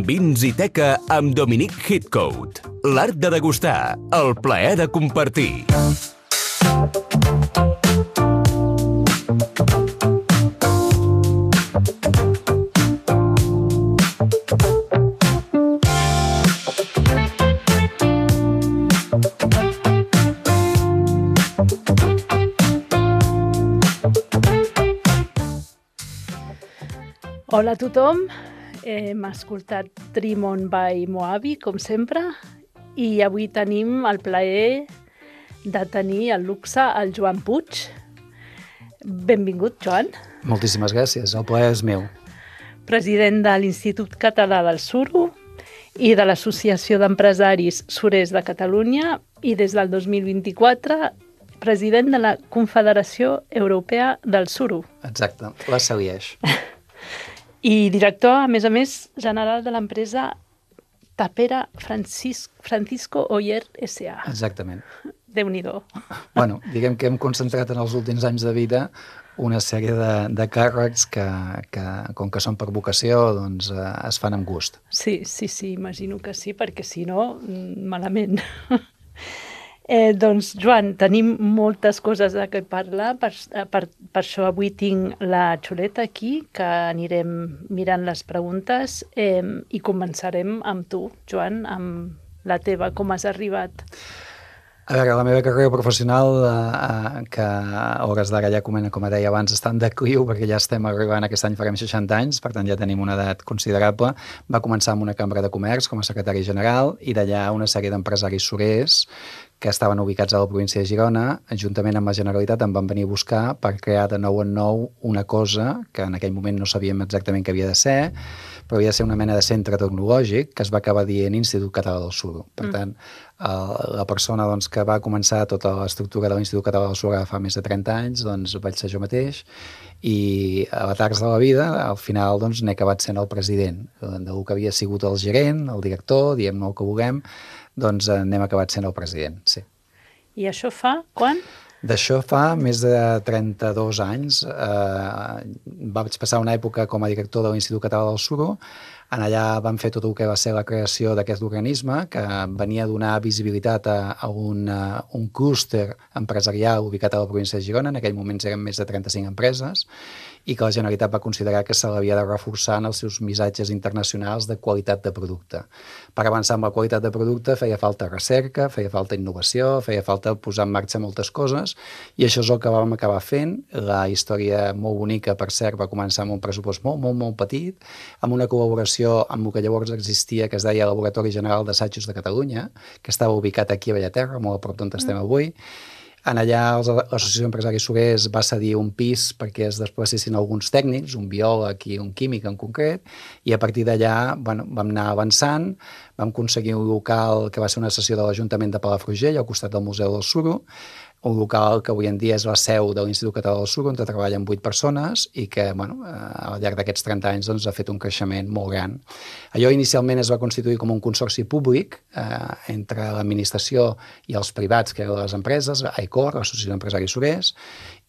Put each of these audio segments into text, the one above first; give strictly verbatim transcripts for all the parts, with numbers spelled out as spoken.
Vins i Teca amb Dominic Heathcote. L'art de degustar, el plaer de compartir. Hola a tothom, hem escoltat Trimon by Moabi, com sempre, i avui tenim el plaer de tenir el luxe al Joan Puig. Benvingut, Joan. Moltíssimes gràcies, el plaer és meu. President de l'Institut Català del Suro i de l'Associació d'Empresaris Surers de Catalunya i des del dos mil vint-i-quatre president de la Confederació Europea del Suro. Exacte, la segueix. I director, a més a més, general de l'empresa Tapera Francis, Francisco Oller S A Exactament. Déu-n'hi-do. Bueno, diguem que hem concentrat en els últims anys de vida una sèrie de, de càrrecs que, que, com que són per vocació, doncs eh, es fan amb gust. Sí, sí, sí, imagino que sí, perquè si no, malament. Eh, doncs, Joan, tenim moltes coses de què parlar, per, per, per això avui tinc la xuleta aquí, que anirem mirant les preguntes eh, i començarem amb tu, Joan, amb la teva, com has arribat. A veure, la meva carrera professional, eh, que a hores d'ara ja, com, com deia abans, està en decliu, perquè ja estem arribant, aquest any farem seixanta anys, per tant ja tenim una edat considerable, va començar amb una cambra de comerç com a secretari general i d'allà una sèrie d'empresaris surers que estaven ubicats a la província de Girona, juntament amb la Generalitat em van venir a buscar per crear de nou en nou una cosa que en aquell moment no sabíem exactament què havia de ser, però havia de ser una mena de centre tecnològic que es va acabar dient Institut Català del Suro. Per tant, mm. la persona doncs, que va començar tota l'estructura de l'Institut Català del Suro fa més de trenta anys, doncs vaig ser jo mateix, i a la tarda de la vida, al final, doncs, n'he acabat sent el president, del que havia sigut el gerent, el director, diem-ne el que vulguem, doncs n'hem acabat sent el president, sí. I això fa quan? D'això fa més de trenta-dos anys. Eh, vaig passar una època com a director de l'Institut Català del Suro. En allà vam fer tot el que va ser la creació d'aquest organisme, que venia a donar visibilitat a, a un, a un clúster empresarial ubicat a la província de Girona. En aquell moment eren més de trenta-cinc empreses, i que la Generalitat va considerar que se l'havia de reforçar en els seus missatges internacionals de qualitat de producte. Per avançar amb la qualitat de producte feia falta recerca, feia falta innovació, feia falta posar en marxa moltes coses, i això és el que vam acabar fent. La història molt bonica, per cert, va començar amb un pressupost molt, molt, molt petit, amb una col·laboració amb el que llavors existia, que es deia Laboratori General d'Assajos de Catalunya, que estava ubicat aquí a Bellaterra, molt a prop d'on estem avui. En allà l'Associació d'Empresaris Surers va cedir un pis perquè es desplaçessin alguns tècnics, un biòleg i un químic en concret, i a partir d'allà bueno, vam anar avançant, vam aconseguir un local que va ser una sessió de l'Ajuntament de Palafrugell, al costat del Museu del Suro, un local que avui en dia és la seu de l'Institut Català del Suro, on treballen vuit persones i que bueno, al llarg d'aquests trenta anys doncs, ha fet un creixement molt gran. Allò inicialment es va constituir com un consorci públic eh, entre l'administració i els privats, que eren les empreses, AECOR, l'Associació d'Empresaris Surers,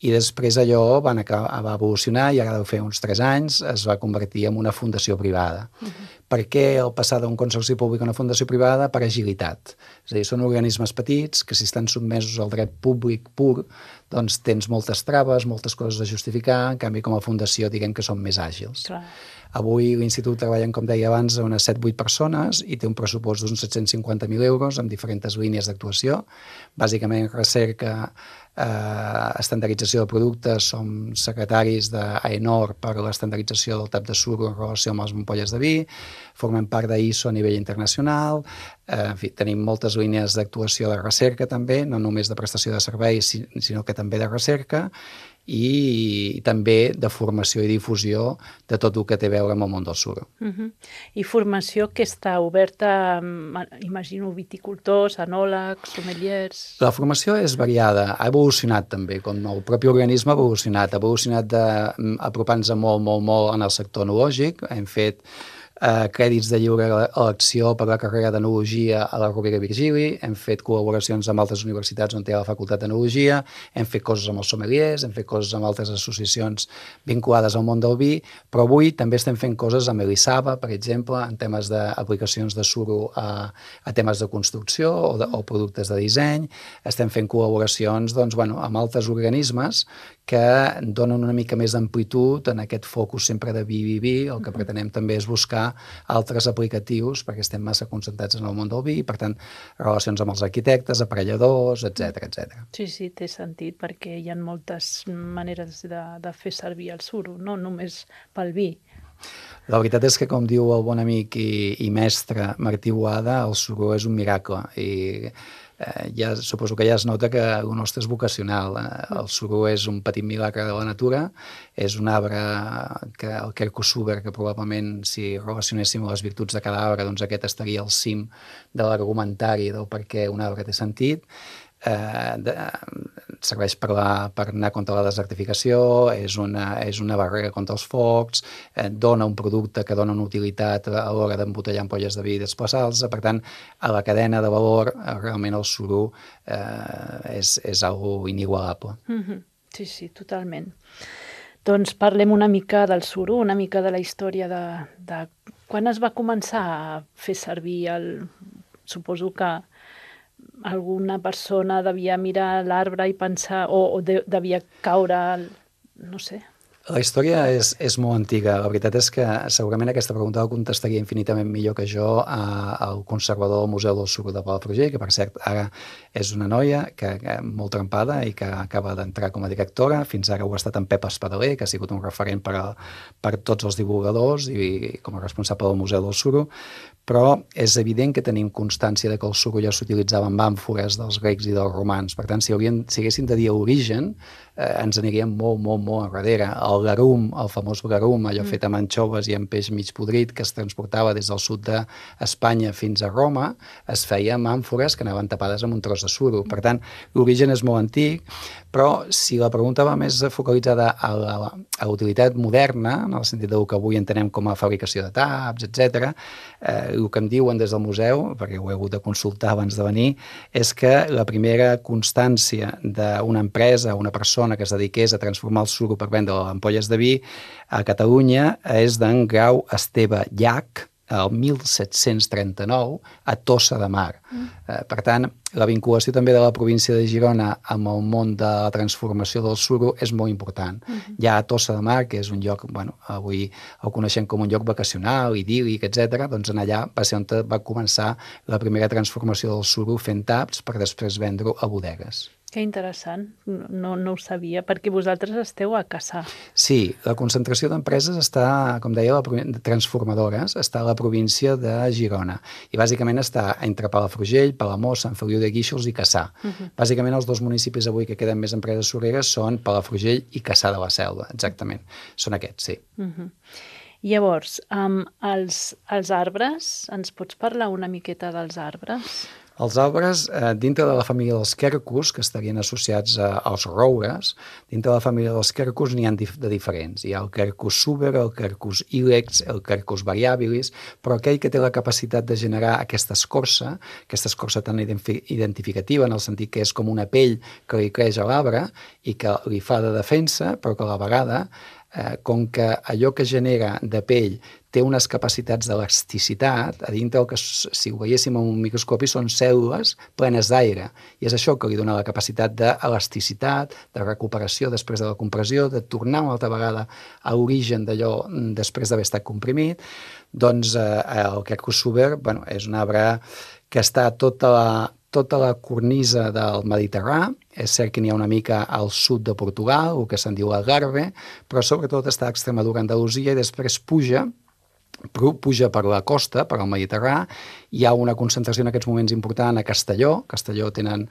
i després allò van acabar, va evolucionar i ara deu fer uns tres anys es va convertir en una fundació privada. Uh-huh. Per què el passar d'un consorci públic a una fundació privada? Per agilitat. És a dir, són organismes petits que si estan sotmesos al dret públic pur, doncs tens moltes traves, moltes coses a justificar, en canvi com a fundació diguem que són més àgils. Clar. Avui l'Institut treballa, com deia abans, unes set vuit persones i té un pressupost d'uns set-cents cinquanta mil euros amb diferents línies d'actuació, bàsicament recerca, eh, estandardització de productes, som secretaris d'AENOR per l'estandardització del tap de suro en relació amb les ampolles de vi, formem part d'I S O a nivell internacional, eh, en fi, tenim moltes línies d'actuació de recerca també, no només de prestació de serveis, sinó que també de recerca, i també de formació i difusió de tot el que té a veure amb el món del suro. Uh-huh. I formació que està oberta, imagino, viticultors, enòlegs, sommeliers... La formació és variada, ha evolucionat també, com el propi organisme ha evolucionat, ha evolucionat d'apropar-nos molt, molt, molt en el sector enològic, hem fet eh, crèdits de lliure elecció per la carrera d'Enologia a la Rovira i Virgili, hem fet col·laboracions amb altres universitats on té la Facultat d'Enologia, hem fet coses amb els sommeliers, hem fet coses amb altres associacions vinculades al món del vi, però avui també estem fent coses amb Elisava, per exemple, en temes d'aplicacions de suro a, a temes de construcció o, de, o productes de disseny, estem fent col·laboracions doncs, bueno, amb altres organismes que donen una mica més d'amplitud en aquest focus sempre de vi, vi, vi. El que pretenem també és buscar altres aplicatius perquè estem massa concentrats en el món del vi, per tant, relacions amb els arquitectes, aparelladors, etcètera, etcètera. Sí, sí, té sentit, perquè hi ha moltes maneres de, de fer servir el suro, no només pel vi. La veritat és que, com diu el bon amic i, i mestre Martí Boada, el suro és un miracle i eh, ja, suposo que ja es nota que el nostre és vocacional. El suro és un petit milagre de la natura, és un arbre que el Quercus suber, que probablement si relacionéssim les virtuts de cada arbre, doncs aquest estaria al cim de l'argumentari del per què un arbre té sentit. Eh, de, serveix per, la, per anar contra la desertificació, és una, és una barrera contra els focs, eh, dona un producte que dona una utilitat a l'hora d'embotellar ampolles de vi i desplaçar-los. Per tant, a la cadena de valor, eh, realment el suro eh, és, és algo inigualable. Mm-hmm. Sí, sí, totalment. Doncs parlem una mica del suro, una mica de la història de, de quan es va començar a fer servir el... Suposo que alguna persona devia mirar l'arbre i pensar, o, o de, devia caure, no sé. La història és, és molt antiga. La veritat és que segurament aquesta pregunta la contestaria infinitament millor que jo a, al conservador del Museu del Suro de Palafrugell, que per cert ara és una noia que, que molt trempada i que acaba d'entrar com a directora. Fins ara ho ha estat en Pep Espadaler, que ha sigut un referent per, a, per tots els divulgadors i com a responsable del Museu del Suro. Però és evident que tenim constància de que el suro ja s'utilitzava en àmfores dels grecs i dels romans. Per tant, si, haurien, si haguéssim de dir origen, eh, ens aniríem molt, molt, molt enrere. El garum, el famós garum, allò mm. fet amb anxoves i amb peix mig podrit, que es transportava des del sud d'Espanya fins a Roma, es feia amb àmfores que anaven tapades amb un tros de suro. Per tant, l'origen és molt antic, però si la pregunta va més focalitzada a la, a l'utilitat moderna, en el sentit del que avui entenem com a fabricació de taps, etcètera, eh, el que em diuen des del museu, perquè ho he hagut de consultar abans de venir, és que la primera constància d'una empresa, una persona que es dediqués a transformar el suro per vendre ampolles de vi a Catalunya és d'en Grau Esteve Llach, el mil set-cents trenta-nou, a Tossa de Mar. Mm. Eh, per tant, la vinculació també de la província de Girona amb el món de la transformació del suro és molt important. Mm-hmm. Hi ha a Tossa de Mar, que és un lloc, bueno, avui el coneixem com un lloc vacacional, idíl·lic, etcètera. Doncs en allà va ser on va començar la primera transformació del suro fent taps per després vendre-ho a bodegues. Que interessant, no, no ho sabia, perquè vosaltres esteu a Cassà. Sí, la concentració d'empreses està, com deia, la, transformadores, està a la província de Girona, i bàsicament està entre Palafrugell, Palamós, Sant Feliu de Guíxols i Cassà. Uh-huh. Bàsicament els dos municipis avui que queden més empreses sureres són Palafrugell i Cassà de la Selva, exactament. Són aquests, sí. Uh-huh. Llavors, um, els, els arbres, ens pots parlar una miqueta dels arbres? Els arbres, eh, dintre de la família dels quercus, que estarien associats a, als roures, dintre de la família dels quercus n'hi ha dif de diferents. Hi ha el Quercus suber, el Quercus ilex, el Quercus variabilis, però aquell que té la capacitat de generar aquesta escorça, aquesta escorça tan identificativa, en el sentit que és com una pell que li creix a l'arbre i que li fa de defensa, però que a la vegada, eh, com que allò que genera de pell té unes capacitats d'elasticitat, a dintre el que, si ho veiéssim amb un microscopi, són cèl·lules plenes d'aire. I és això que li dona la capacitat d'elasticitat, de recuperació després de la compressió, de tornar una altra vegada a l'origen d'allò després d'haver estat comprimit. Doncs eh, el Quercus suber, bueno, és un arbre que està tota la, tota la cornisa del Mediterrani. És cert que n'hi ha una mica al sud de Portugal, el que se'n diu l'Algarve, però sobretot està a Extremadura, Andalusia, i després puja puja per la costa, per al Mediterrani. Hi ha una concentració en aquests moments important a Castelló. Castelló tenen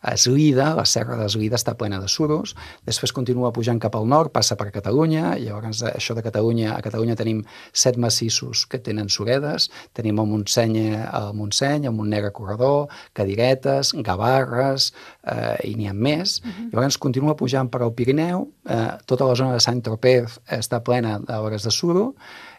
Eslida, la serra d'Eslida està plena de suros. Després continua pujant cap al nord, passa per Catalunya. Llavors, això de Catalunya, a Catalunya tenim set massissos que tenen suredes. Tenim el Montseny, el Montseny, el Montnegre Corredor, Cadiretes, Gavarres, eh, i n'hi ha més. Uh-huh. Llavors, continua pujant per al Pirineu. Eh, tota la zona de Sant-Tropez està plena d'obres de suro.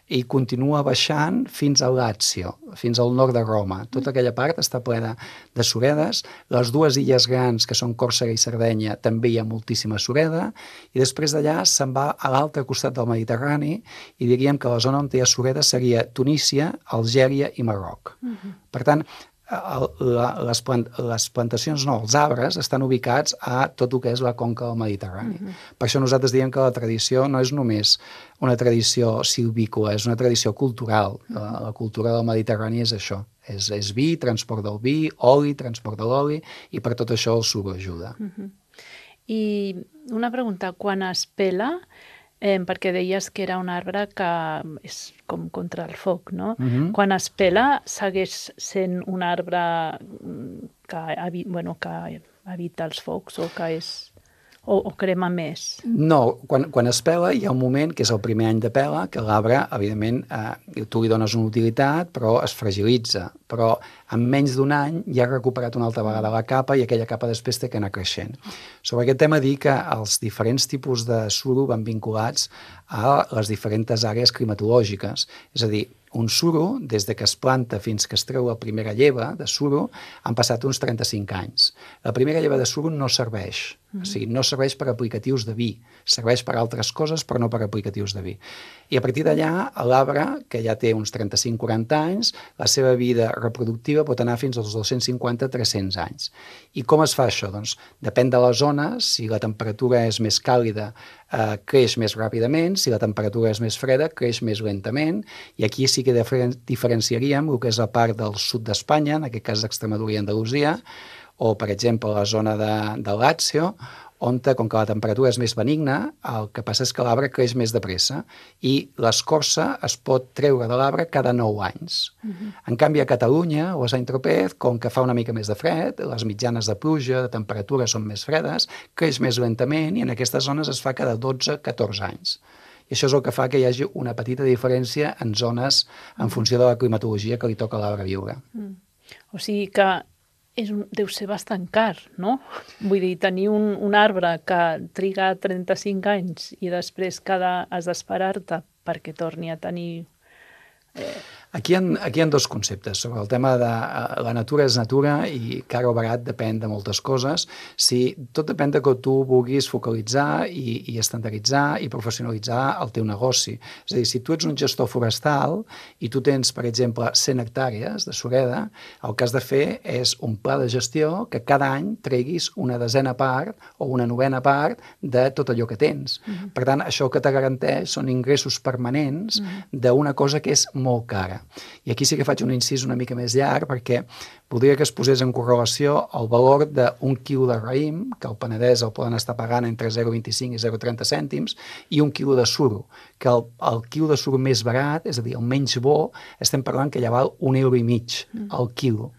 i continua baixant fins al Lazio, fins al nord de Roma. Tota aquella part està plena de suredes. Les dues illes grans, que són Còrsega i Sardenya, també hi ha moltíssima sureda, i després d'allà se'n va a l'altre costat del Mediterrani i diríem que la zona on hi ha sureda seria Tunísia, Algèria i Marroc. Uh-huh. Per tant, La, les, plant, les plantacions, no, els arbres estan ubicats a tot el que és la conca del Mediterrani. Uh-huh. Per això nosaltres diem que la tradició no és només una tradició silvícola, és una tradició cultural. Uh-huh. La, la cultura del Mediterrani és això, és, és vi, transport del vi, oli, transport de l'oli, i per tot això el suro ajuda. Uh-huh. I una pregunta, quan es pela, Eh, perquè deies que era un arbre que és com contra el foc, no? Uh-huh. Quan es pela, segueix sent un arbre que, bueno, que evita els focs o que és... O, o crema més? No, quan, quan es pela hi ha un moment, que és el primer any de pela, que l'arbre, evidentment, eh, tu li dones una utilitat, però es fragilitza. Però en menys d'un any ja ha recuperat una altra vegada la capa i aquella capa després té que anar creixent. Sobre aquest tema, dir que els diferents tipus de suro van vinculats a les diferents àrees climatològiques. És a dir, un suro, des de que es planta fins que es treu la primera lleva de suro, han passat uns trenta-cinc anys. La primera lleva de suro no serveix, mm-hmm. o sigui, no serveix per aplicatius de vi, serveix per altres coses, però no per aplicatius de vi. I a partir d'allà, l'arbre, que ja té uns trenta-cinc a quaranta anys, la seva vida reproductiva pot anar fins als dos-cents cinquanta a tres-cents anys. I com es fa això? Doncs depèn de la zona, si la temperatura és més càlida, eh, creix més ràpidament, si la temperatura és més freda, creix més lentament, i aquí sí que diferenciaríem el que és la part del sud d'Espanya, en aquest cas d'Extremadura i Andalusia, o, per exemple, la zona de, de Lazio, on, com que la temperatura és més benigna, el que passa és que l'arbre creix més de pressa i l'escorça es pot treure de l'arbre cada nou anys. Uh-huh. En canvi, a Catalunya o a Saint-Tropez, com que fa una mica més de fred, les mitjanes de pluja, de temperatura són més fredes, creix més lentament i en aquestes zones es fa cada dotze a catorze anys. I això és el que fa que hi hagi una petita diferència en zones en funció de la climatologia que li toca a l'arbre viure. Mm. O sigui que és un, deu ser bastant car, no? Vull dir, tenir un, un arbre que triga trenta-cinc anys i després cada has d'esperar-te perquè torni a tenir... Eh... Aquí hi, ha, aquí hi ha dos conceptes. Sobre el tema de la natura és natura i car o barat depèn de moltes coses. Si, tot depèn de que tu vulguis focalitzar i, i estandarditzar i professionalitzar el teu negoci. És a dir, si tu ets un gestor forestal i tu tens, per exemple, cent hectàrees de sureda, el que has de fer és un pla de gestió que cada any treguis una desena part o una novena part de tot allò que tens. Uh-huh. Per tant, això que te garanteix són ingressos permanents uh-huh. d'una cosa que és molt cara. I aquí sí que faig un incís una mica més llarg perquè voldria que es posés en correlació el valor d'un quilo de raïm, que al Penedès el poden estar pagant entre zero coma vint-i-cinc i zero coma trenta cèntims, i un quilo de suro, que el, el quilo de suro més barat, és a dir, el menys bo, estem parlant que ja val un euro i mig al quilo.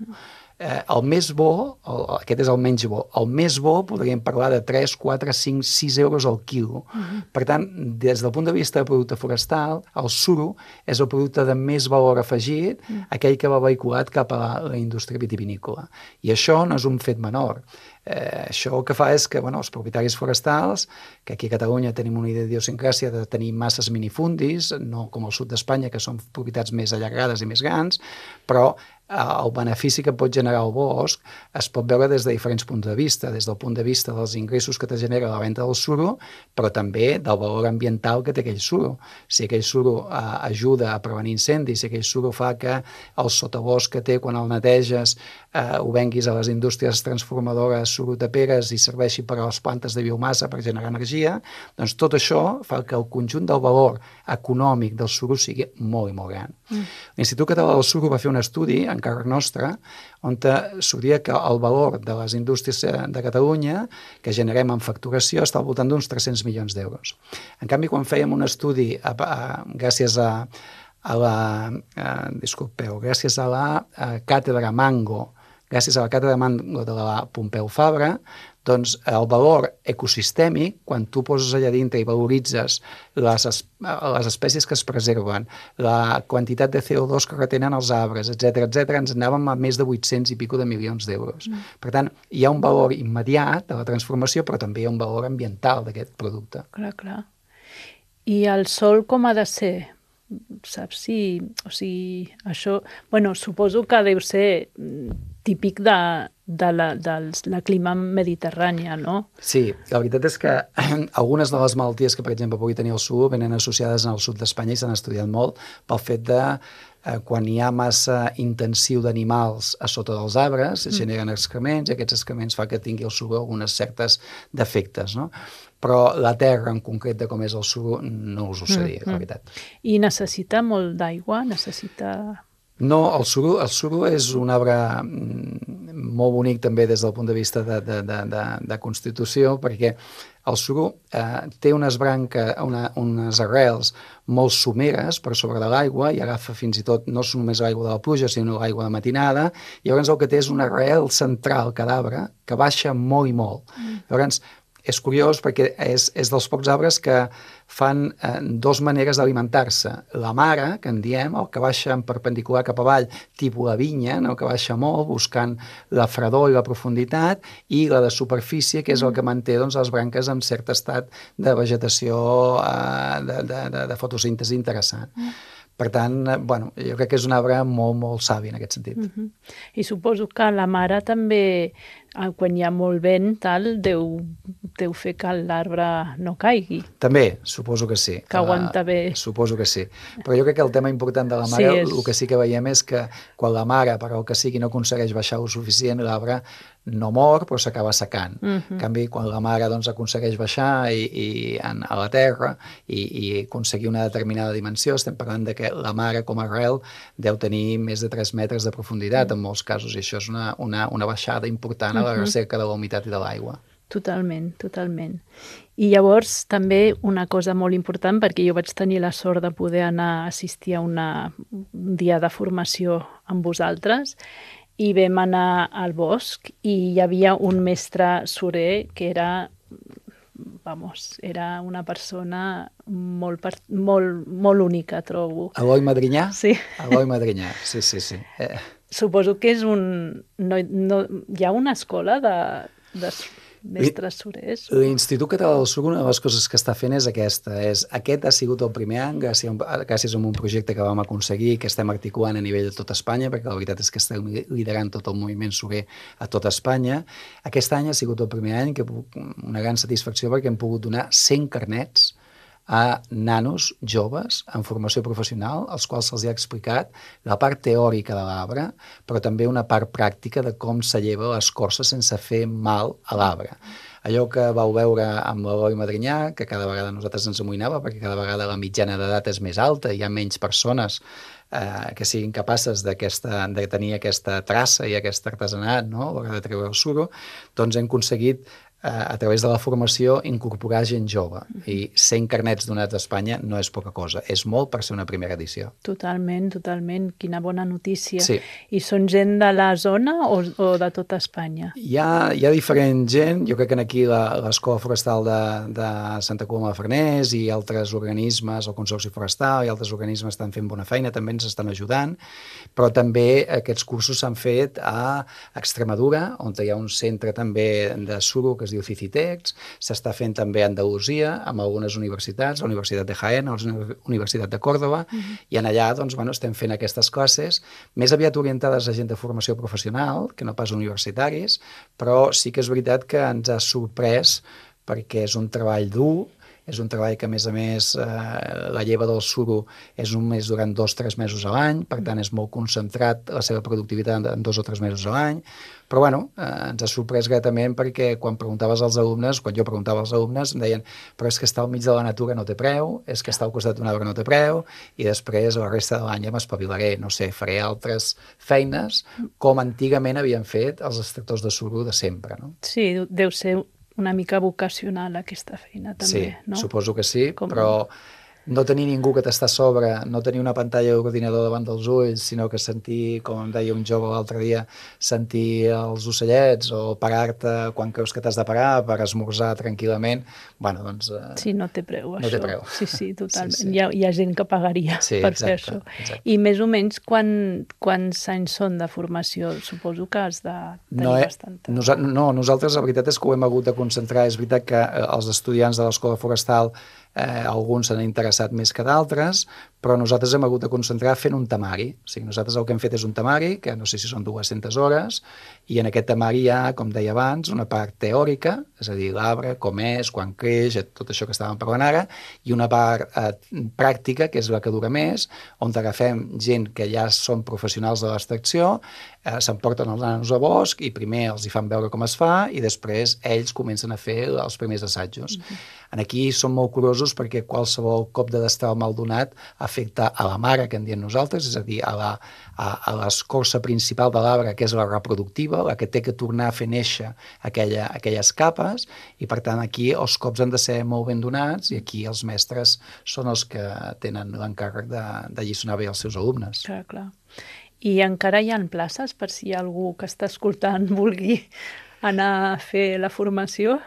Eh, el més bo, el, aquest és el menys bo, el més bo podríem parlar de tres, quatre, cinc, sis euros al quilo. Uh-huh. Per tant, des del punt de vista de producte forestal, el suro és el producte de més valor afegit, uh-huh. aquell que va vehiculat cap a la, la indústria vitivinícola. I això no és un fet menor. Eh, això el que fa és que bueno, els propietaris forestals, que aquí a Catalunya tenim una idiosincràsia de tenir masses minifundis, no com al sud d'Espanya, que són propietats més allargades i més grans, però el benefici que pot generar el bosc es pot veure des de diferents punts de vista, des del punt de vista dels ingressos que te genera la venda del suro, però també del valor ambiental que té aquell suro. Si aquell suro eh, ajuda a prevenir incendis, si aquell suro fa que el sotabosc que té quan el neteges eh, ho venguis a les indústries transformadores suro-taperes i serveixi per a les plantes de biomassa per generar energia, doncs tot això fa que el conjunt del valor econòmic del suro sigui molt i molt gran. Mm. L'Institut Català del Suro va fer un estudi en càrrec nostre, on sortia que el valor de les indústries de Catalunya que generem en facturació està al voltant d'uns tres-cents milions d'euros. En canvi, quan fèiem un estudi a, a, gràcies a, a la a, disculpeu, gràcies a la a càtedra Mango, gràcies a la càtedra Mango de la Pompeu Fabra, doncs el valor ecosistèmic, quan tu poses allà dintre i valoritzes les, les espècies que es preserven, la quantitat de C O dos que retenen els arbres, etcètera, etcètera, ens anàvem a més de vuit-cents i pico de milions d'euros. Mm. Per tant, hi ha un valor immediat de la transformació, però també hi ha un valor ambiental d'aquest producte. Clar, clar. I el sòl com ha de ser? saps si... O sigui, això... Bueno, suposo que deu ser típic de, de la, de la clima mediterrània, no? Sí, la veritat és que algunes de les malalties que, per exemple, pugui tenir el suro venen associades al sud d'Espanya i s'han estudiat molt pel fet de eh, quan hi ha massa intensiu d'animals a sota dels arbres, es generen excrements i aquests excrements fa que tingui el suro algunes certes defectes, no? Però la terra en concret de com és el suro no us ho sé dir, mm, la veritat. I necessita molt d'aigua? Necessita... No, el suro, el suro és un arbre molt bonic també des del punt de vista de, de, de, de, de constitució, perquè el suro eh, té unes branques, una, unes arrels molt someres per sobre de l'aigua i agafa fins i tot, no és només l'aigua de la pluja, sinó l'aigua de matinada, i llavors el que té és una arrel central cada arbre que baixa molt i molt. Mm. Llavors, és curiós perquè és, és dels pocs arbres que fan eh, dues maneres d'alimentar-se. La mare, que en diem, el que baixa en perpendicular cap avall, tipus la vinya, no? Que baixa molt, buscant la fredor i la profunditat, i la de superfície, que és el que manté doncs, les branques en cert estat de vegetació, eh, de, de, de, de fotosíntesi interessant. Mm. Per tant, bueno, jo crec que és un arbre molt, molt savi en aquest sentit. Uh-huh. I suposo que la mare també, quan hi ha molt vent, tal, deu, deu fer que l'arbre no caigui. També, suposo que sí. Que aguanta bé. Uh, suposo que sí. Però jo crec que el tema important de la mare, sí, és... el que sí que veiem és que quan la mare, per el que sigui, no aconsegueix baixar el suficient, l'arbre no mor, però s'acaba secant. Uh-huh. En canvi, quan la mare doncs, aconsegueix baixar i, i en, a la terra i, i aconseguir una determinada dimensió, estem parlant de que la mare com a arrel deu tenir més de tres metres de profunditat en molts casos, i això és una, una, una baixada important a la recerca de la humitat i de l'aigua. Totalment, totalment. I llavors també una cosa molt important, perquè jo vaig tenir la sort de poder anar a assistir a una, un dia de formació amb vosaltres, i vam anar al bosc i hi havia un mestre surer que era, vamos, era una persona molt, molt, molt única, trobo. Eloi Madrinyà? Sí. Eloi Madrinyà, sí, sí, sí. Eh. Suposo que és un... No, no, hi ha una escola de, de mestres surers? L'Institut Català del Suro, una de les coses que està fent és aquesta. És, aquest ha sigut el primer any, gràcies a, un, gràcies a un projecte que vam aconseguir, que estem articulant a nivell de tot Espanya, perquè la veritat és que estem liderant tot el moviment surer a tot Espanya. Aquest any ha sigut el primer any, que una gran satisfacció perquè hem pogut donar cent carnets a nanos joves en formació professional, als quals se'ls ha explicat la part teòrica de l'arbre, però també una part pràctica de com se lleva l'escorça sense fer mal a l'arbre. Allò que vau veure amb l'Eloi Madrinyà, que cada vegada nosaltres ens amoïnava, perquè cada vegada la mitjana d'edat és més alta, hi ha menys persones eh, que siguin capaces de tenir aquesta traça i aquest artesanat, no?, a l'hora de treure el suro, doncs hem aconseguit a través de la formació, incorporar gent jove. I cent carnets donats a Espanya no és poca cosa. És molt per ser una primera edició. Totalment, totalment. Quina bona notícia. Sí. I són gent de la zona o, o de tota Espanya? Hi ha, hi ha diferent gent. Jo crec que aquí l'Escola Forestal de, de Santa Coloma de Farners i altres organismes, el Consorci Forestal i altres organismes estan fent bona feina, també ens estan ajudant, però també aquests cursos s'han fet a Extremadura, on hi ha un centre també de suro que es diu Cicitex, s'està fent també a Andalusia, amb algunes universitats, la Universitat de Jaén, la Universitat de Còrdova, uh-huh. i en allà doncs, bueno, estem fent aquestes classes, més aviat orientades a gent de formació professional, que no pas universitaris, però sí que és veritat que ens ha sorprès perquè és un treball dur, és un treball que, a més a més, eh, la lleva del suro és només durant dos o tres mesos a l'any, per tant, és molt concentrat la seva productivitat en dos o tres mesos a l'any, però, bueno, eh, ens ha sorprès gratament perquè quan preguntaves als alumnes, quan jo preguntava als alumnes, em deien, però és que estar al mig de la natura no té preu, és que estar al costat d'un arbre no té preu, i després, la resta de l'any ja m'espavilaré, no sé, faré altres feines, com antigament havien fet els extractors de suro de sempre, no? Sí, deu ser una mica vocacional aquesta feina també, sí, no? Sí, suposo que sí, Com... però no tenir ningú que t'està a sobre, no tenir una pantalla d'ordinador davant dels ulls, sinó que sentir, com em deia un jove l'altre dia, sentir els ocellets o parar-te quan creus que t'has de parar per esmorzar tranquil·lament, bueno, doncs... Eh, sí, no té preu, no això. Té preu. Sí, sí, totalment. Sí, sí. Hi, ha, hi ha gent que pagaria sí, per exacte, fer això. Exacte. I més o menys quan, quants anys són de formació? Suposo que has de tenir no, eh, bastanta... Nosa no, nosaltres la veritat és que ho hem hagut de concentrar. És veritat que eh, els estudiants de l'Escola Forestal Eh, alguns s'han interessat més que d'altres, però nosaltres hem hagut de concentrar fent un temari. O sigui, nosaltres el que hem fet és un temari, que no sé si són dues-centes hores, i en aquest temari hi ha, com deia abans, una part teòrica, és a dir, l'arbre, com és, quan creix, tot això que estàvem parlant ara, i una part eh, pràctica, que és la que dura més, on agafem gent que ja són professionals de l'extracció, eh, s'emporten els nanos a bosc i primer els hi fan veure com es fa i després ells comencen a fer els primers assajos. Mm-hmm. Aquí som molt curosos perquè qualsevol cop de destral mal donat afecta a la mare, que en diem nosaltres, és a dir, a la, a, a l'escorça principal de l'arbre, que és la reproductiva, la que té que tornar a fer néixer aquella, aquelles capes, i per tant aquí els cops han de ser molt ben donats i aquí els mestres són els que tenen l'encàrrec de, de lliçonar bé els seus alumnes. Clar, clar. I encara hi ha places per si algú que està escoltant vulgui anar a fer la formació?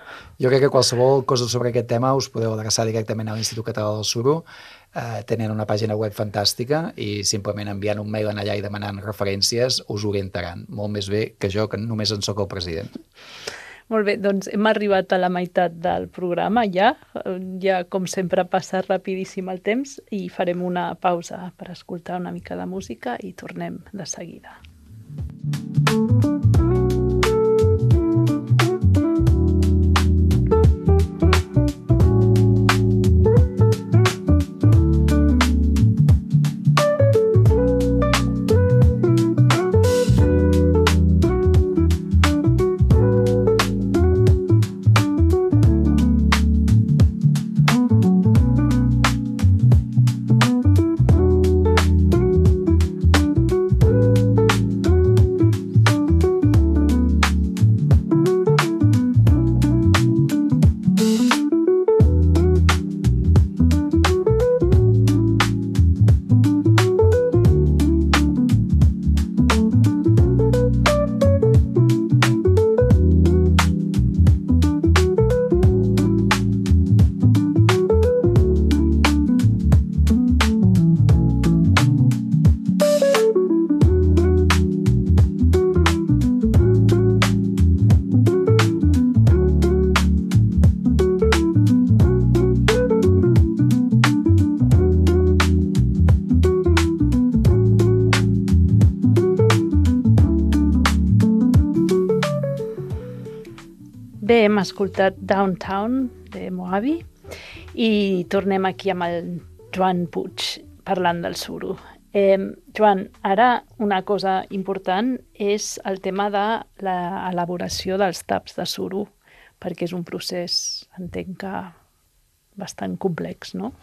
Jo crec que qualsevol cosa sobre aquest tema us podeu adreçar directament a l'Institut Català del Suro. Eh, tenen una pàgina web fantàstica i simplement enviant un mail allà i demanant referències us orientaran. Molt més bé que jo, que només en soc el president. Molt bé, doncs hem arribat a la meitat del programa ja. Ja, com sempre, passa rapidíssim el temps i farem una pausa per escoltar una mica de música i tornem de seguida. Bé, hem escoltat Downtown de Moabi i tornem aquí amb el Joan Puig parlant del suro. Eh, Joan, ara una cosa important és el tema de l'elaboració dels taps de suro, perquè és un procés, entenc que bastant complex, no?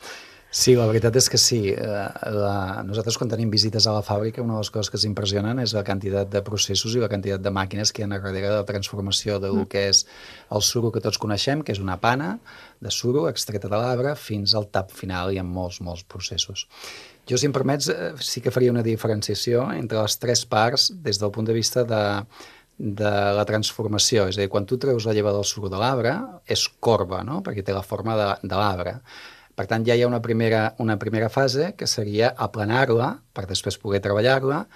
Sí, la veritat és que sí. La... Nosaltres quan tenim visites a la fàbrica, una de les coses que ens impressionen és la quantitat de processos i la quantitat de màquines que hi ha darrere de la transformació del mm. que és el suro que tots coneixem, que és una pana de suro extreta de l'arbre, fins al tap final. Hi ha molts, molts processos. Jo, si em permets, sí que faria una diferenciació entre les tres parts des del punt de vista de, de la transformació. És a dir, quan tu treus la lleva del suro de l'arbre, és corba, no? Perquè té la forma de, de l'arbre. Per tant, ja hi ha una primera, una primera fase que seria aplanar-la per després poder treballar-la,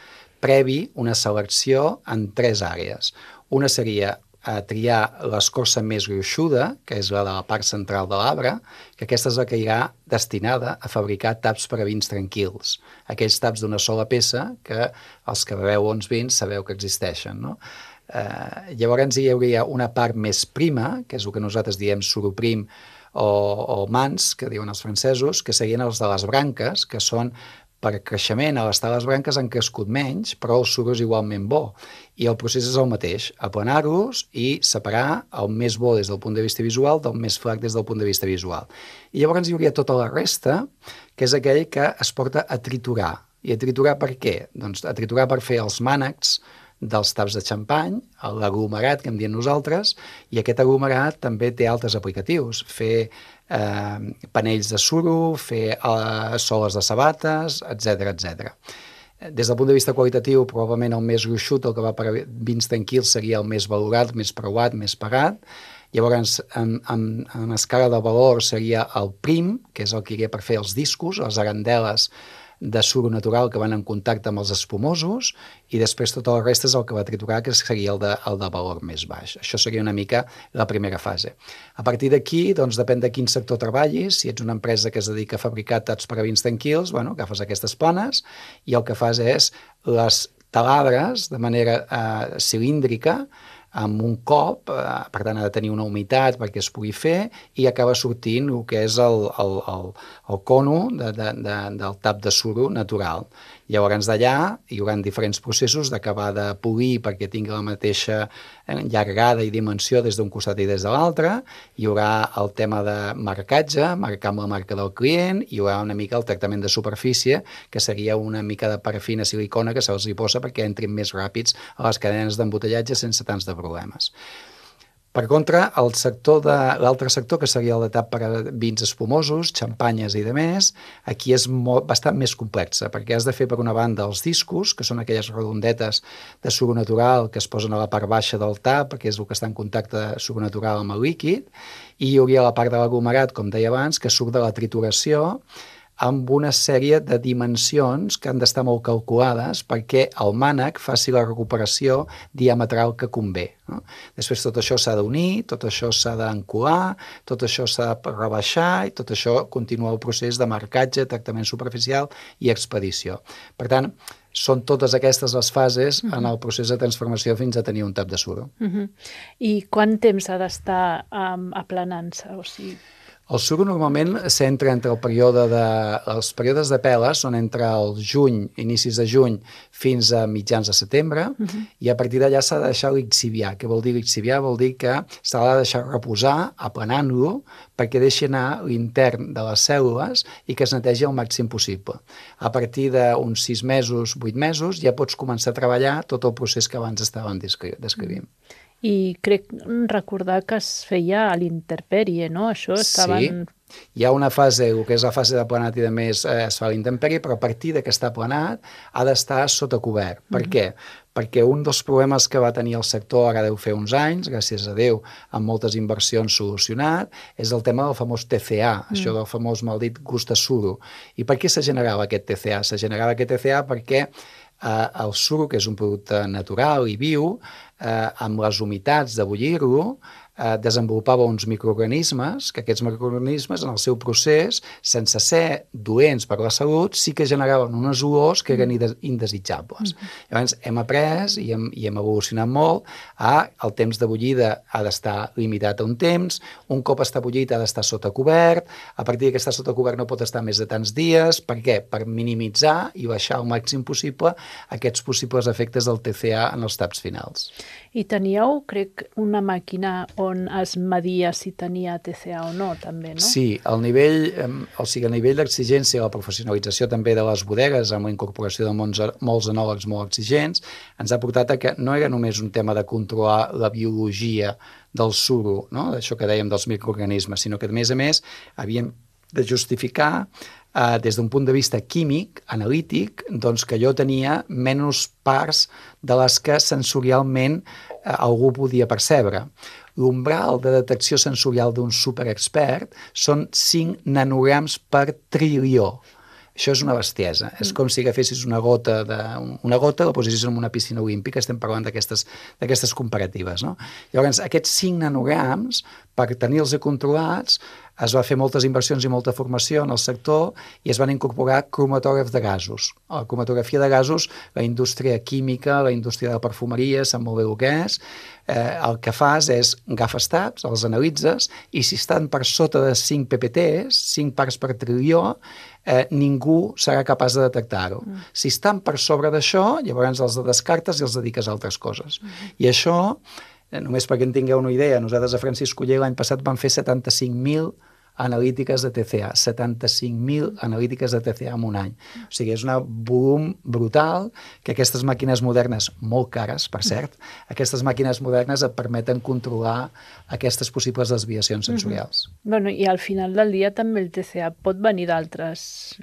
previ una selecció en tres àrees. Una seria a triar l'escorça més gruixuda, que és la de la part central de l'arbre, que aquesta és la que irà destinada a fabricar taps per a vins tranquils. Aquells taps d'una sola peça que els que beveu bons vins sabeu que existeixen, no? Eh, llavors hi hauria una part més prima, que és el que nosaltres diem suro prim, o, o mans, que diuen els francesos, que serien els de les branques, que són per creixement, a l'estar les branques han crescut menys, però el suro és igualment bo. I el procés és el mateix, aplanar-los i separar el més bo des del punt de vista visual del més flac des del punt de vista visual. I llavors hi hauria tota la resta, que és aquell que es porta a triturar. I a triturar per què? Doncs a triturar per fer els mànecs dels taps de xampany, l'aglomerat que en diem nosaltres, i aquest aglomerat també té altres aplicatius. Fer eh, panells de suro, fer eh, soles de sabates, etcètera, etcètera. Des del punt de vista qualitatiu, probablement el més gruixut, el que va per a vins tranquils, seria el més valorat, més preuat, més pagat. Llavors, en, en, en escala de valor seria el prim, que és el que iria per fer els discos, les arandeles, de suro natural que van en contacte amb els espumosos i després tot el reste és el que va triturar, que seria el de, el de valor més baix. Això seria una mica la primera fase. A partir d'aquí, doncs, depèn de quin sector treballis. Si ets una empresa que es dedica a fabricar taps per a Winston Kills, bueno, agafes aquestes planes i el que fas és les talabres de manera eh, cilíndrica amb un cop, eh, per tant ha de tenir una humitat perquè es pugui fer i acaba sortint el que és el, el, el, el cono de, de, de, del tap de suro natural. Llavors d'allà hi haurà diferents processos d'acabar de polir perquè tingui la mateixa llargada i dimensió des d'un costat i des de l'altre, hi haurà el tema de marcatge, marcar amb la marca del client, hi haurà una mica el tractament de superfície, que seria una mica de parafina silicona que se'ls hi posa perquè entrin més ràpids a les cadenes d'embotellatge sense tants de problemes. Per contra, el sector de l'altre sector, que seria el de tap per a vins espumosos, xampanyes i demés, aquí és molt, bastant més complexa, perquè has de fer per una banda els discos, que són aquelles redondetes de suro natural que es posen a la part baixa del tap, perquè és el que està en contacte de suro natural amb el líquid, i hi hauria la part de l'aglomerat, com deia abans, que surt de la trituració, amb una sèrie de dimensions que han d'estar molt calculades perquè el mànec faci la recuperació diametral que convé. No? Després tot això s'ha d'unir, tot això s'ha d'encolar, tot això s'ha de rebaixar i tot això continua el procés de marcatge, tractament superficial i expedició. Per tant, són totes aquestes les fases uh-huh. en el procés de transformació fins a tenir un tap de suro. Uh-huh. I quant temps ha d'estar um, aplanant-se? O sigui... El suro normalment s'entra entre el període de... Els períodes de pela són entre el juny, inicis de juny, fins a mitjans de setembre, uh-huh. i a partir d'allà s'ha de deixar lixiviar. Què vol dir lixiviar? Vol dir que s'ha de deixar reposar, aplanant-lo, perquè deixi anar l'intern de les cèl·lules i que es netegi el màxim possible. A partir d'uns sis mesos, vuit mesos, ja pots començar a treballar tot el procés que abans estàvem descrivint. Uh-huh. I crec recordar que es feia a l'intempèrie, no? Això estaven... Sí, hi ha una fase, el que és la fase de planat i de més, eh, es fa a l'intempèrie, però a partir de que està planat ha d'estar sota cobert. Per mm-hmm. què? Perquè un dels problemes que va tenir el sector, ara deu fer uns anys, gràcies a Déu, amb moltes inversions solucionat, és el tema del famós T C A, mm. això del famós maldit gust de suro. I per què se generava aquest T C A? Se generava aquest T C A perquè eh, el suro, que és un producte natural i viu, eh, amb les humitats de bullir-lo, eh, desenvolupava uns microorganismes, que aquests microorganismes en el seu procés, sense ser doents per la salut, sí que generaven unes olors que eren indesitjables. Mm-hmm. Llavors hem après i hem, i hem evolucionat molt a el temps de bullida ha d'estar limitat a un temps, un cop està bullit ha d'estar sota cobert, a partir que està sota cobert no pot estar més de tants dies. Per què? Per minimitzar i baixar al màxim possible aquests possibles efectes del T C A en els taps finals. I teníeu, crec, una màquina on es media si tenia T C A o no, també, no? Sí, el nivell, o sigui, el nivell d'exigència i la professionalització també de les bodegues amb la incorporació de molts, molts enòlegs molt exigents ens ha portat a que no era només un tema de controlar la biologia del suro, no? D'això que dèiem dels microorganismes, sinó que, a més a més, havíem de justificar eh, des d'un punt de vista químic, analític, doncs que jo tenia menys parts de les que sensorialment eh, algú podia percebre. L'umbral de detecció sensorial d'un superexpert són cinc nanograms per trilió. Això és una bestiesa. Mm. És com si agafessis una gota, de, una gota la posessis en una piscina olímpica, estem parlant d'aquestes d'aquestes comparatives, no? Llavors, aquests cinc nanograms, per tenir-los controlats, es va fer moltes inversions i molta formació en el sector i es van incorporar cromatògrafs de gasos. A la cromatografia de gasos, la indústria química, la indústria de la perfumeria, sap molt bé el que és. Eh, el que fas és agafes taps, els analitzes, i si estan per sota de cinc P P Ts, cinc parts per trilió, eh, ningú serà capaç de detectar-ho. Mm. Si estan per sobre d'això, llavors els descartes i els dediques a altres coses. Mm. I això, eh, només perquè en tingueu una idea, nosaltres a Francisco Oller l'any passat vam fer setanta-cinc mil analítiques de T C A, setanta-cinc mil analítiques de T C A en un any. O sigui, és un volum brutal que aquestes màquines modernes, molt cares, per cert, aquestes màquines modernes et permeten controlar aquestes possibles desviacions sensorials. Mm-hmm. Bueno, i al final del dia també el T C A pot venir d'altres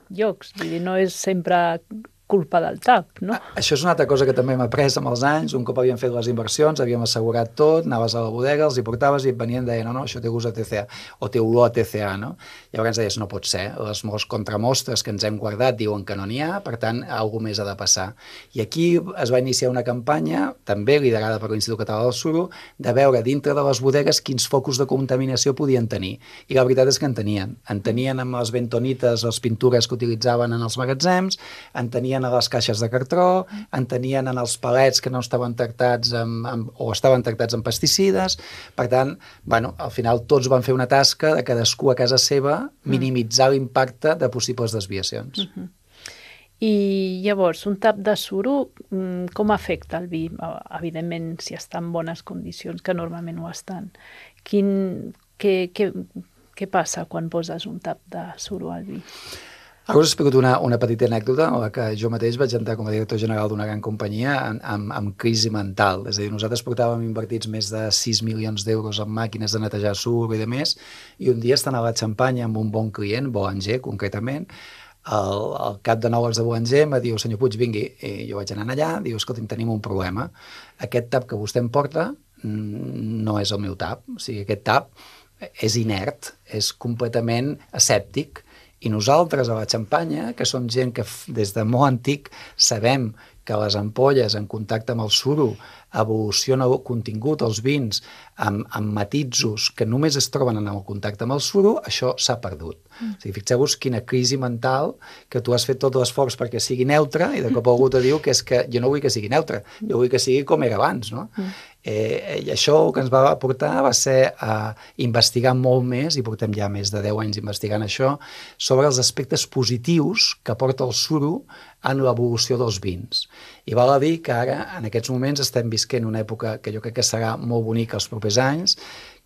llocs, vull dir, no és sempre culpa del tap, no? Això és una altra cosa que també hem après amb els anys. Un cop havíem fet les inversions, havíem assegurat tot, anaves a la bodega, els hi portaves i et venien i deien, no, no, això té gust a T C A, o té olor a T C A, no? Llavors ens deies, no pot ser, les molts contramostres que ens hem guardat diuen que no n'hi ha, per tant, alguna més ha de passar. I aquí es va iniciar una campanya, també liderada per l'Institut Català del Suro, de veure dintre de les bodegues quins focus de contaminació podien tenir. I la veritat és que en tenien. En tenien amb les bentonites, les pintures que utilitzaven en els magatzems, en tenien a les caixes de cartró, en tenien en els palets que no estaven tractats amb, amb, o estaven tractats amb pesticides. Per tant, bueno, al final tots van fer una tasca de cadascú a casa seva minimitzar l'impacte de possibles desviacions. Uh-huh. I llavors, un tap de suro, com afecta el vi? Evidentment, si està en bones condicions, que normalment ho estan. Quin, què, què, què passa quan poses un tap de suro al vi? Ara us explico una, una petita anècdota en la que jo mateix vaig entrar com a director general d'una gran companyia amb, amb, amb crisi mental. És a dir, nosaltres portàvem invertits més de sis milions d'euros en màquines de netejar suro i de més, i un dia estant a la Xampanya amb un bon client, Boulanger concretament, el, el cap de nou de Boulanger em diu, senyor Puig, vingui. I jo vaig anar allà, diu, escolti'm, tenim un problema. Aquest tap que vostè em porta no és el meu tap. O sigui, aquest tap és inert, és completament asèptic. I nosaltres a la Xampanya, que som gent que des de molt antic sabem que les ampolles en contacte amb el suro evoluciona el contingut, els vins, amb, amb matisos que només es troben en el contacte amb el suro, això s'ha perdut. Mm. O sigui, fixeu-vos quina crisi mental, que tu has fet tot l'esforç perquè sigui neutre i de cop algú te diu que és que jo no vull que sigui neutre, jo vull que sigui com era abans, no? Mm. Eh, I això el que ens va portar va ser a investigar molt més, i portem ja més de deu anys investigant això, sobre els aspectes positius que porta el suro en l'evolució dels vins. I val a dir que ara, en aquests moments, estem visquent una època que jo crec que serà molt bonica els propers anys,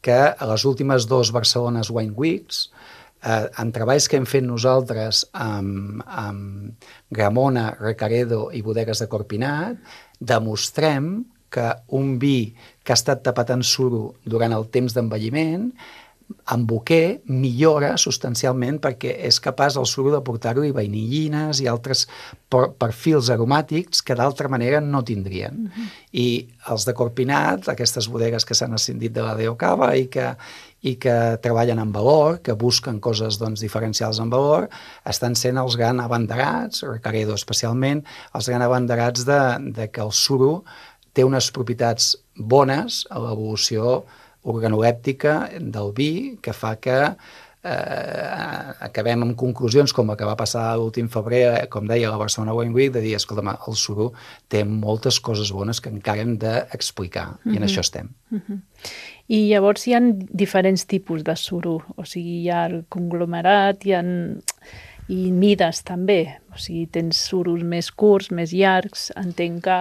que a les últimes dos Barcelones Wine Weeks, eh, en treballs que hem fet nosaltres amb, amb Gramona, Recaredo i bodegues de Corpinat, demostrem que un vi que ha estat tapat en suro durant el temps d'envelliment, en boquer, millora substancialment perquè és capaç el suro de portar-hi vainillines i altres perfils aromàtics que d'altra manera no tindrien. Uh-huh. I els de Corpinat, aquestes bodegues que s'han ascendit de la D O Cava i que, i que treballen en valor, que busquen coses doncs, diferencials en valor, estan sent els grans abanderats, Recaredo especialment, els grans abanderats de, de que el suro té unes propietats bones a l'evolució organolèptica del vi, que fa que eh, acabem amb conclusions com la que va passar l'últim febrer, com deia la Barcelona Wine Week, de dir, escolta, el suro té moltes coses bones que encara hem d'explicar, mm-hmm. i en això estem. Mm-hmm. I llavors hi ha diferents tipus de suro, o sigui, hi ha el conglomerat, hi ha... i mides també, o sigui, tens suros més curts, més llargs, entenc que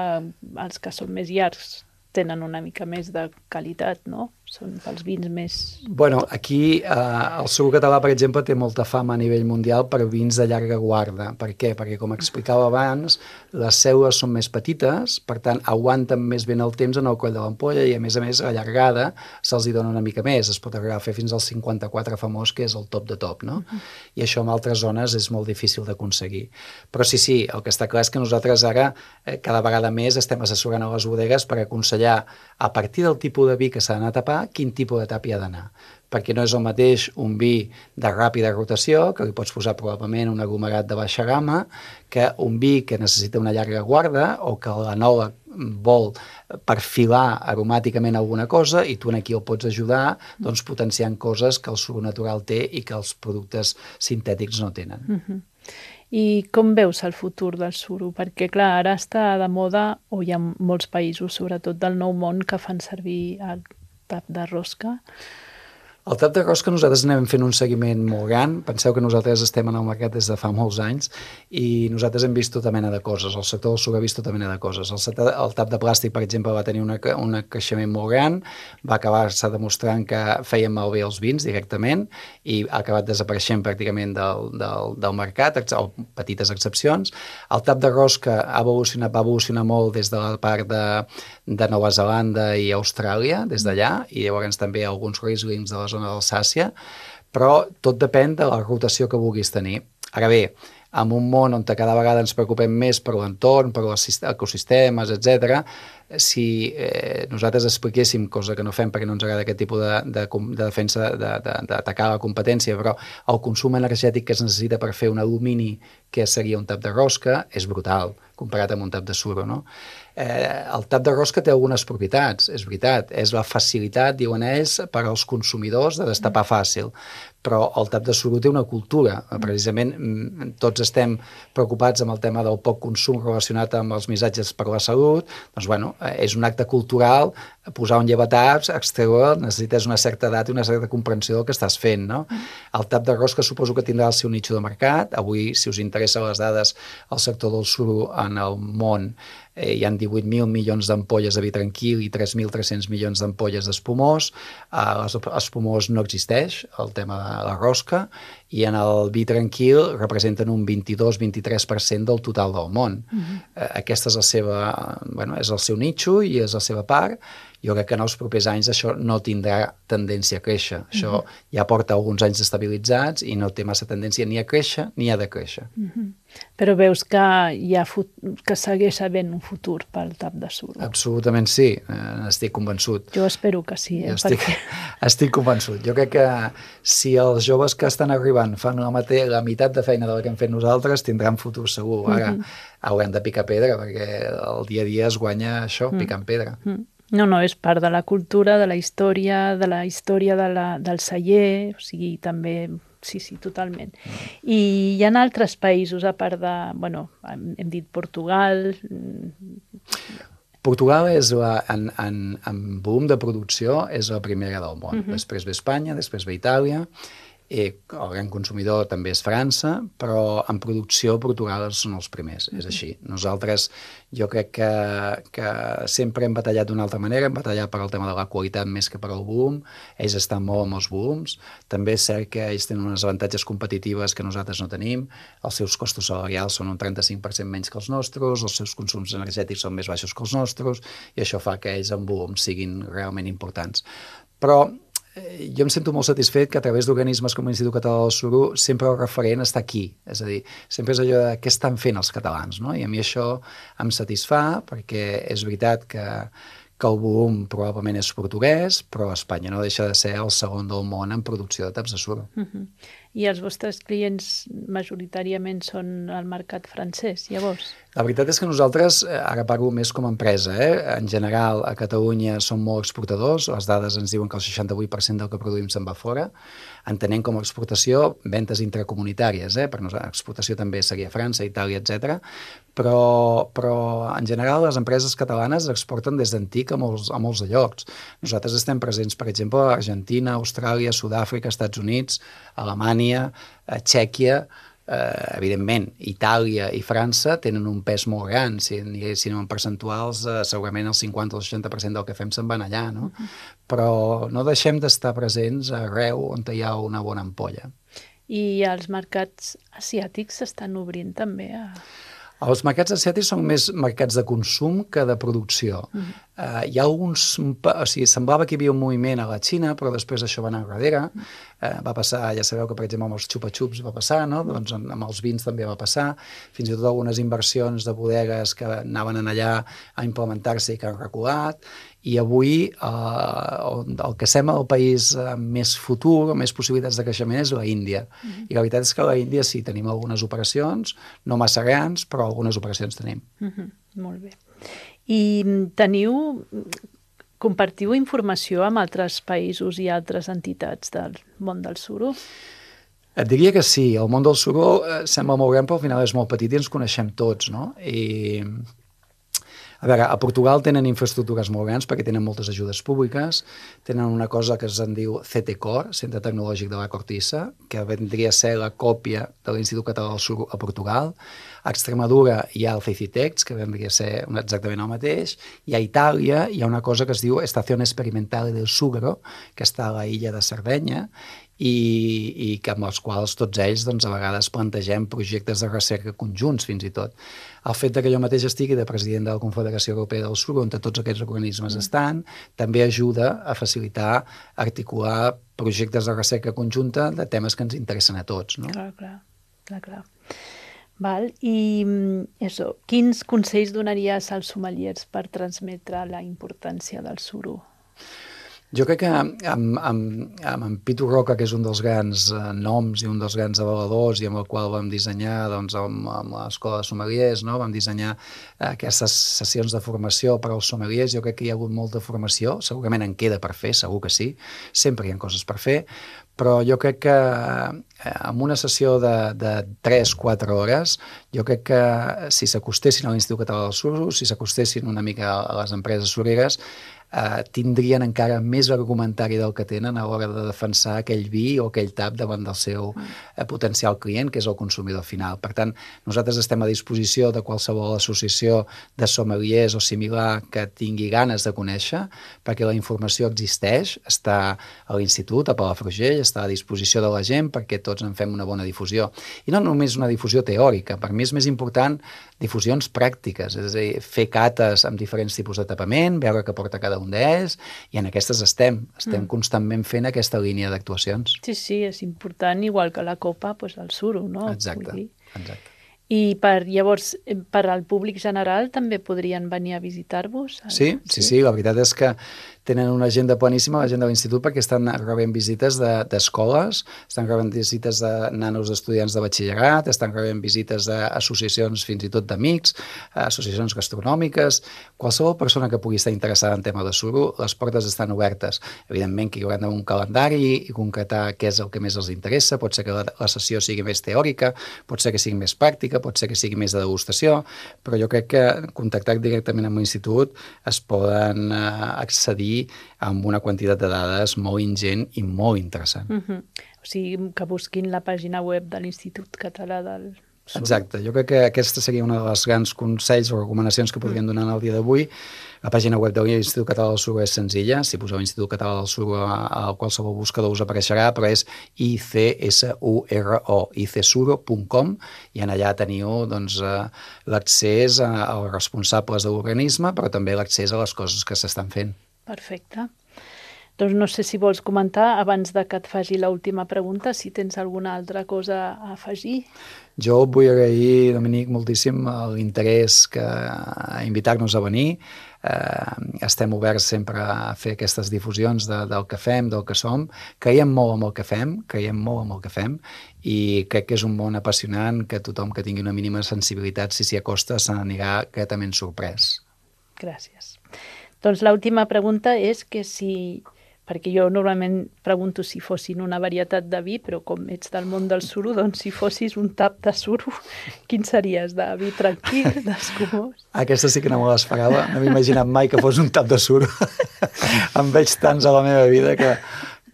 els que són més llargs tenen una mica més de qualitat, no? Són pels vins més... Bueno, aquí eh, el suro català, per exemple, té molta fama a nivell mundial per vins de llarga guarda. Per què? Perquè, com explicava abans, les cèl·lules són més petites, per tant, aguanten més ben el temps en el coll de l'ampolla i, a més a més, la llargada se'ls hi dona una mica més. Es pot arribar a fer fins al cinquanta-quatre famós, que és el top de top, no? Uh-huh. I això en altres zones és molt difícil d'aconseguir. Però sí, sí, el que està clar és que nosaltres ara, eh, cada vegada més, estem assessorant a les bodegues per aconsellar, a partir del tipus de vi que s'ha d'anar a tapar, quin tipus de tap hi ha d'anar. Perquè no és el mateix un vi de ràpida rotació, que li pots posar probablement un aglomerat de baixa gamma, que un vi que necessita una llarga guarda o que l'enòleg vol perfilar aromàticament alguna cosa i tu aquí el pots ajudar doncs, potenciant coses que el suro natural té i que els productes sintètics no tenen. Uh-huh. I com veus el futur del suro? Perquè, clar, ara està de moda, o hi ha molts països, sobretot del Nou Món, que fan servir el tap de rosca. El tap de rosca nosaltres anem fent un seguiment molt gran. Penseu que nosaltres estem en el mercat des de fa molts anys i nosaltres hem vist tota mena de coses. El sector del suro ha vist tota mena de coses. El, set, el tap de plàstic, per exemple, va tenir una, un creixement molt gran, va acabar-se demostrant que feien malbé els vins directament i ha acabat desapareixent pràcticament del, del, del mercat, o petites excepcions. El tap de rosca ha evolucionat, va evolucionar molt des de la part de, de Nova Zelanda i Austràlia, des d'allà, i llavors també alguns Rieslings de la zona d'Alsàcia, però tot depèn de la rotació que vulguis tenir. Ara bé, en un món on cada vegada ens preocupem més per l'entorn, per els ecosistemes, etcètera, si eh, nosaltres expliquéssim, cosa que no fem perquè no ens agrada aquest tipus de, de, de defensa, d'atacar la competència, però el consum energètic que es necessita per fer un alumini que seria un tap de rosca és brutal, comparat amb un tap de suro, no? Eh, el tap de rosca té algunes propietats, és veritat, és la facilitat, diuen ells, per als consumidors de destapar fàcil, però el tap de suro té una cultura. Precisament tots estem preocupats amb el tema del poc consum relacionat amb els missatges per la salut, doncs bueno, és un acte cultural, posar un llevataps, extreure, necessites una certa edat i una certa comprensió del que estàs fent, no? El tap de rosca suposo que tindrà el seu nicho de mercat. Avui, si us interessen les dades, el sector del suro en el món eh, hi ha divuit mil milions d'ampolles de vi tranquil i tres mil tres-cents milions d'ampolles d'espumós. Eh, l'espumós no existeix, el tema de la rosca, i en el vi tranquil representen un vint-i-dos a vint-i-tres per cent del total del món. Uh-huh. eh, aquesta és la seva, bueno, és el seu nicho i és la seva part. Jo crec que en els propers anys això no tindrà tendència a créixer. Això uh-huh. ja porta alguns anys estabilitzats i no té massa tendència ni a créixer ni a decréixer. Uh-huh. Però veus que hi ha fut... que segueix havent un futur pel tap de suro? Absolutament sí, n'estic convençut. Jo espero que sí. Eh? Jo estic, perquè... estic convençut. Jo crec que si els joves que estan arribant fan la, mate... la meitat de feina de la que hem fet nosaltres, tindran futur segur. Ara uh-huh. haurem de picar pedra, perquè el dia a dia es guanya això, uh-huh. picant pedra. Uh-huh. No, no, és part de la cultura, de la història, de la història de la, del celler, o sigui, també, sí, sí, totalment. I hi ha altres països, a part de, bueno, hem dit Portugal... Portugal és la, en, en, en volum de producció és la primera del món. Uh-huh. Després ve Espanya, després ve Itàlia, i el gran consumidor també és França, però en producció Portugal són els primers, és així. Nosaltres, jo crec que, que sempre hem batallat d'una altra manera, hem batallat per al tema de la qualitat més que per al volum, ells estan molt amb els volums, també és cert que ells tenen unes avantatges competitives que nosaltres no tenim, els seus costos salarials són un trenta-cinc per cent menys que els nostres, els seus consums energètics són més baixos que els nostres, i això fa que ells en volum siguin realment importants. Però jo em sento molt satisfet que a través d'organismes com l'Institut Català del Suro sempre el referent està aquí, és a dir, sempre és allò de què estan fent els catalans, no? I a mi això em satisfà perquè és veritat que, que el volum probablement és portuguès, però Espanya no deixa de ser el segon del món en producció de taps de suro. Uh-huh. I els vostres clients majoritàriament són al mercat francès, llavors? La veritat és que nosaltres, ara parlo més com a empresa, eh? En general a Catalunya som molt exportadors, les dades ens diuen que el seixanta-vuit per cent del que produïm se'n va fora, entenent com a exportació ventes intracomunitàries, eh? Per nosaltres exportació també seria França, Itàlia, etcètera. Però, però en general les empreses catalanes exporten des d'antic a molts, a molts llocs. Nosaltres estem presents, per exemple, a Argentina, Austràlia, Sud-àfrica, Estats Units, Alemanya, Txèquia, eh, evidentment, Itàlia i França tenen un pes molt gran, si anéssim en percentuals, eh, segurament el cinquanta o el seixanta per cent del que fem se'n van allà, no? Uh-huh. Però no deixem d'estar presents arreu on hi ha una bona ampolla. I els mercats asiàtics s'estan obrint també a... Els mercats asiàtics són més mercats de consum que de producció. Uh-huh. uh, hi ha alguns... O sigui, semblava que hi havia un moviment a la Xina, però després això va anar enrere. Uh, va passar, ja sabeu que, per exemple, amb els xupa-xups va passar, no? Doncs amb els vins també va passar. Fins i tot algunes inversions de bodegues que anaven allà a implementar-se i que han reculat. I avui eh, el que sembla el país amb més futur, amb més possibilitats de creixement és la Índia. Uh-huh. I la veritat és que a la Índia sí, tenim algunes operacions, no massa grans, però algunes operacions tenim. Uh-huh. Molt bé. I teniu, compartiu informació amb altres països i altres entitats del món del suro? Et diria que sí. El món del suro eh, sembla molt gran, però al final és molt petit i ens coneixem tots, no? I... A veure, a Portugal tenen infraestructures molt grans perquè tenen moltes ajudes públiques, tenen una cosa que es diu C T Cor, Centre Tecnològic de la Cortissa, que vendria a ser la còpia de l'Institut Català del Suro a Portugal. A Extremadura hi ha el Cecitex, que vendria a ser exactament el mateix, i a Itàlia hi ha una cosa que es diu Estación Experimental del Sucre, que està a la illa de Sardenya, i, i que amb els quals tots ells doncs, a vegades plantegem projectes de recerca conjunts fins i tot. El fet que jo mateix estigui de president de la Confederació Europea del Suro, on tots aquests organismes estan, també ajuda a facilitar, articular projectes de recerca conjunta de temes que ens interessen a tots. No? Clar, clar, clar, clar. Val? I eso, quins consells donaries als sommeliers per transmetre la importància del suro? Jo crec que amb, amb, amb en Pitu Roca, que és un dels grans eh, noms i un dels grans avaladors i amb el qual vam dissenyar, doncs, amb, amb l'Escola de Sommeliers, no? Vam dissenyar eh, aquestes sessions de formació per als sommeliers. Jo crec que hi ha hagut molta formació, segurament en queda per fer, segur que sí, sempre hi ha coses per fer, però jo crec que eh, amb una sessió de, de tres a quatre hores, jo crec que si s'acostessin a l'Institut Català del Suro, si s'acostessin una mica a les empreses sureres, Uh, tindrien encara més argumentari del que tenen a l'hora de defensar aquell vi o aquell tap davant del seu uh, potencial client, que és el consumidor final. Per tant, nosaltres estem a disposició de qualsevol associació de sommeliers o similar que tingui ganes de conèixer, perquè la informació existeix, està a l'Institut, a Palafrugell, està a disposició de la gent perquè tots en fem una bona difusió. I no només una difusió teòrica, per mi és més important difusions pràctiques, és a dir, fer cates amb diferents tipus de tapament, veure què porta cada un d'ells, i en aquestes estem, estem mm. constantment fent aquesta línia d'actuacions. Sí, sí, és important, igual que la copa, doncs el suro, no? Exacte, exacte. I per, llavors, per al públic general també podrien venir a visitar-vos? Sí, sí, sí, la veritat és que tenen una agenda planíssima, l'agenda de l'Institut, perquè estan rebent visites d'escoles, de, estan rebent visites de nanos d'estudiants de batxillerat, estan rebent visites d'associacions fins i tot d'amics, associacions gastronòmiques, qualsevol persona que pugui estar interessada en tema de suro, les portes estan obertes. Evidentment que hi haurà un calendari i concretar què és el que més els interessa, pot ser que la, la sessió sigui més teòrica, pot ser que sigui més pràctica, pot ser que sigui més de degustació, però jo crec que contactar directament amb l'Institut es poden uh, accedir amb una quantitat de dades molt ingent i molt interessant. Uh-huh. O sigui, que busquin la pàgina web de l'Institut Català del Suro. Exacte, jo crec que aquesta seria una de les grans consells o recomanacions que podríem donar en el dia d'avui. La pàgina web de l'Institut Català del Suro és senzilla, si poseu l'Institut Català del Suro a qualsevol buscador us apareixerà, però és I C S U R O, i c suro punt com, i en allà teniu doncs, l'accés als responsables de l'organisme, però també l'accés a les coses que s'estan fent. Perfecte. Doncs no sé si vols comentar, abans de que et faci l'última pregunta, si tens alguna altra cosa a afegir. Jo vull agrair, Dominic, moltíssim l'interès que a invitar-nos a venir. Eh, estem oberts sempre a fer aquestes difusions de, del que fem, del que som. Creiem molt en el que fem, creiem molt en el que fem, i crec que és un món apassionant que tothom que tingui una mínima sensibilitat, si s'hi acosta, se n'anirà gratament sorprès. Gràcies. Doncs l'última pregunta és que si, perquè jo normalment pregunto si fossin una varietat de vi, però com ets del món del suro, doncs si fossis un tap de suro, quin series? De vi tranquil, d'escumós? Aquesta sí que no me l'esperava, no m'he imaginat mai que fos un tap de suro. En veig tants a la meva vida que,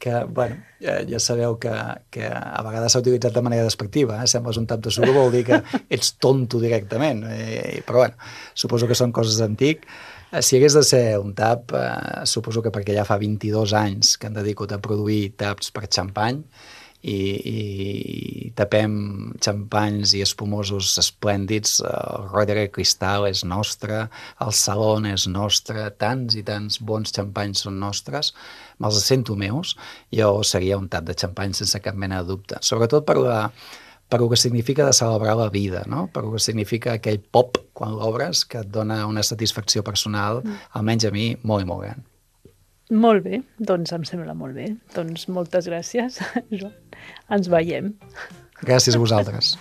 que bueno, ja, ja sabeu que, que a vegades s'ha utilitzat de manera despectiva, eh? Sembles un tap de suro, vol dir que ets tonto directament, eh, però bueno, suposo que són coses d'antic. Si hagués de ser un tap, eh, suposo que perquè ja fa vint-i-dos anys que em dedico a produir taps per xampany i, i tapem xampanys i espumosos esplèndids. El Roederer Cristal és nostre, el Salon és nostre, tants i tants bons xampanys són nostres, me'ls sento meus. Jo seria un tap de xampany sense cap mena de dubte, sobretot per la per el que significa de celebrar la vida, no? Per el que significa aquell pop quan l'obres que et dona una satisfacció personal, mm. almenys a mi, molt i molt gran. Molt bé, doncs em sembla molt bé. Doncs moltes gràcies, Joan. Ens veiem. Gràcies a vosaltres.